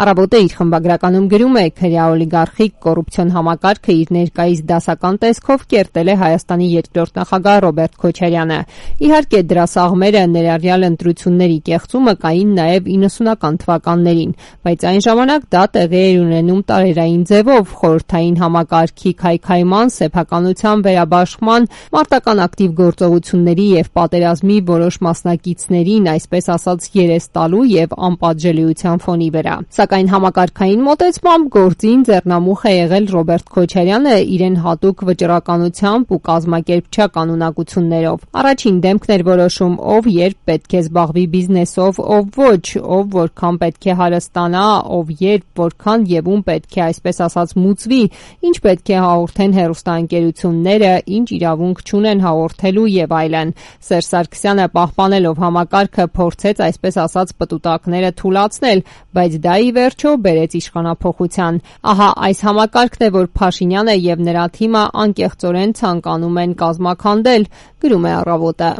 Առավոտը իր խմբագրականում գրում է. քրեա-օլիգարխիկ կոռուպցիոն համակարգը իր ներկայիս դասական տեսքով կերտել է Հայաստանի երկրորդ նախագահ Ռոբերտ Քոչարյանը։ Իհարկե, դրա սաղմերը, ներառյալ ընտրությունների կեղծումը, կային նաև 90-ական թվականներին, բայց այն ժամանակ դա տեղի էր ունենում տարերային ձևով՝ խորհրդային համակարգի քայքայման, սեփականության վերաբաշխման, մարտական ակտիվ գործողությունների եւ պատերազմի որոշ մասնակիցներին, այսպես ասած, երես տալու եւ անպատժելիության ֆոնի վրա։ Սակայն համակարգային մոտեցմամբ գործին ձեռնամուխ է եղել Ռոբերտ Քոչարյանը իրեն հատուկ վճռականությամբ ու կազմակերպչական ունակություններով։ Առաջին դեմքն էր որոշում ով երբ պետք է զբաղվի բիզնեսով, ով ոչ, ով որքան պետք է հարստանա, ով երբ, որքան եւ ում պետք է այսպես ասած մուծվի, ինչ պետք է հաղորդեն հեռուստաընկերությունները, ինչ իրավունք չունեն հաղորդելու եւ այլն։ Սերժ Սարգսյանը պահպանելով համակարգը փորձեց այսպես ասած պտուտակները թուլացնել, բայց դա ի վերջո բերեց իշխանափոխության։ Ահա այս համակարգն է, որ Փաշինյանը եւ նրա թիմը անկեղծորեն ցանկանում են կազմաքանդել, գրում է Առավոտը։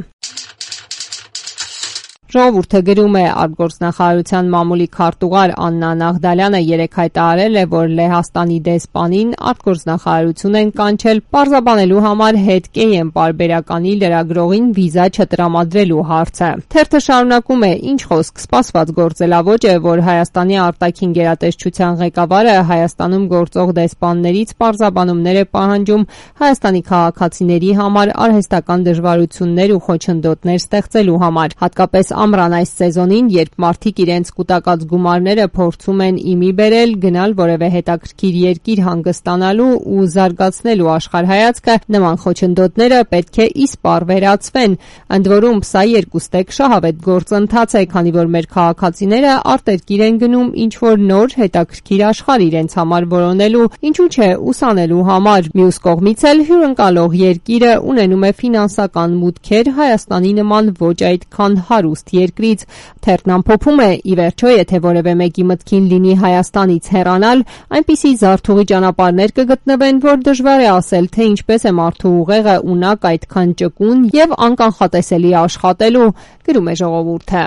Ժողովուրդը գրում է. արտգործնախարարության մամուլի քարտուղար Աննա Նաղդալյանը երեկ հայտարարել է, որ Լեհաստանի դեսպանին արտգործնախարարություն են կանչել պարզաբանելու համար հետկեյեմ պարբերականի լրագրողին վիզա չտրամադրելու հարցը։ Թերթը շարունակում է. ինչ խոսք, սպասված գործելավոճ է, որ Հայաստանի արտաքին գերատեսչության ղեկավարը Հայաստանում գործող դեսպաններից պարզաբանումներ է պահանջում Հայաստանի քաղաքացիների համար արհեստական դժվարություններ ու խոչընդոտներ ստեղծելու համար, հատկապես ամռան այս սեզոնին, երբ մարդիկ իրենց կուտակած գումարները փորձում են իմի բերել, գնալ որևէ հետաքրքիր երկիր հանգստանալու ու զարգացնելու աշխարհայացքը, նման խոչընդոտները պետք է իսպառ վերացվեն։ Ընդ որում, սա երկուստեք շահավետ գործընթաց է, քանի որ մեր քաղաքացիները արտերկիր են գնում ինչ-որ նոր հետաքրքիր աշխարհ իրենց համար որոնելու, ինչու՞ չէ ուսանելու համար։ Մյուս կողմից էլ հյուրընկալող երկիրը ունենում է ֆինանսական մուտքեր Հայաստանի նման ոչ այդքան հարուստ երկրից։ Թերթն ամփոփում է. ի վերջո, եթե որևէ մեկի մտքին լինի Հայաստանից հեռանալ, այնպիսի զարթուղի ճանապարհներ կգտնվեն, որ դժվար է ասել, թե ինչպես է մարդու ուղեղը ունակ այդքան ճկուն եւ անկանխատեսելի աշխատելու, գրում է Ժողովուրդը։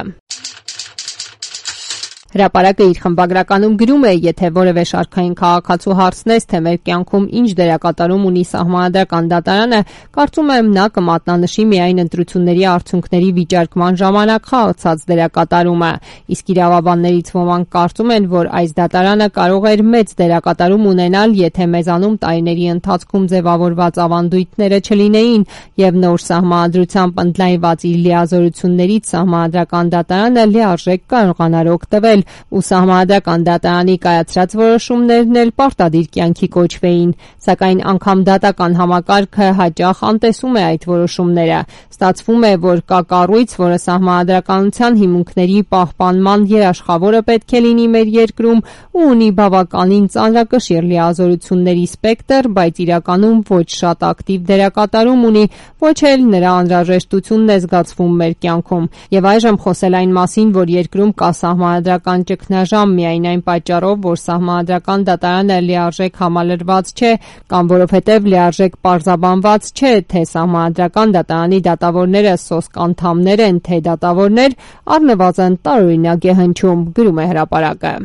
Հրապարակը իր խմբագրականում գրում է. եթե որևէ շարքային քաղաքացու հարցնես, թե մեր կյանքում ինչ դերակատարում ունի Սահմանադրական դատարանը, կարծում եմ նա կմատնանշի միայն ընտրությունների արդյունքների վիճարկման ժամանակ խաղացած դերակատարումը։ Իսկ իրավաբաններից ոմանք կարծում են, որ այս դատարանը կարող էր մեծ դերակատարում ունենալ, եթե մեզանում տարիների ընթացքում ձևավորված ավանդույթները չլինեին եւ նոր սահմանադրությամբ ընդլայնված իր լիազորություններից Սահմանադրական դատարանը լիարժեք կարողանար օգտվել ու Սահմանադրական դատարանի կայացրած որոշումներն էլ պարտադիր կյանքի կոչվեին, սակայն անգամ դատական համակարգը հաճախ անտեսում է այդ որոշումները։ Ստացվում է, որ կա կառույց, որը սահմանադրականության հիմունքների պահպանման երաշխավորը պետք է լինի մեր երկրում ու ունի բավականին ծանրակշիռ լիազորությունների սպեկտր, բայց իրականում ոչ շատ ակտիվ դերակատարում ունի, ոչ էլ նրա անհրաժեշտությունն է զգացվում մեր կյանքում։ Եվ այժմ խոսել այն մասին, որ երկրում կա սահմանադրական ճգնաժամ միայն այն պատճառով, որ Սահմանադրական դատարանը լիարժեք համալրված չէ, կամ որովհետև լիարժեք պարզաբանված չէ, թե Սահմանադրական դատարանի դատավորները սոսկ անդամներ են, թե դատավորներ, առնվազն տարօրինակ է հնչում, գրում է Հրապարակը։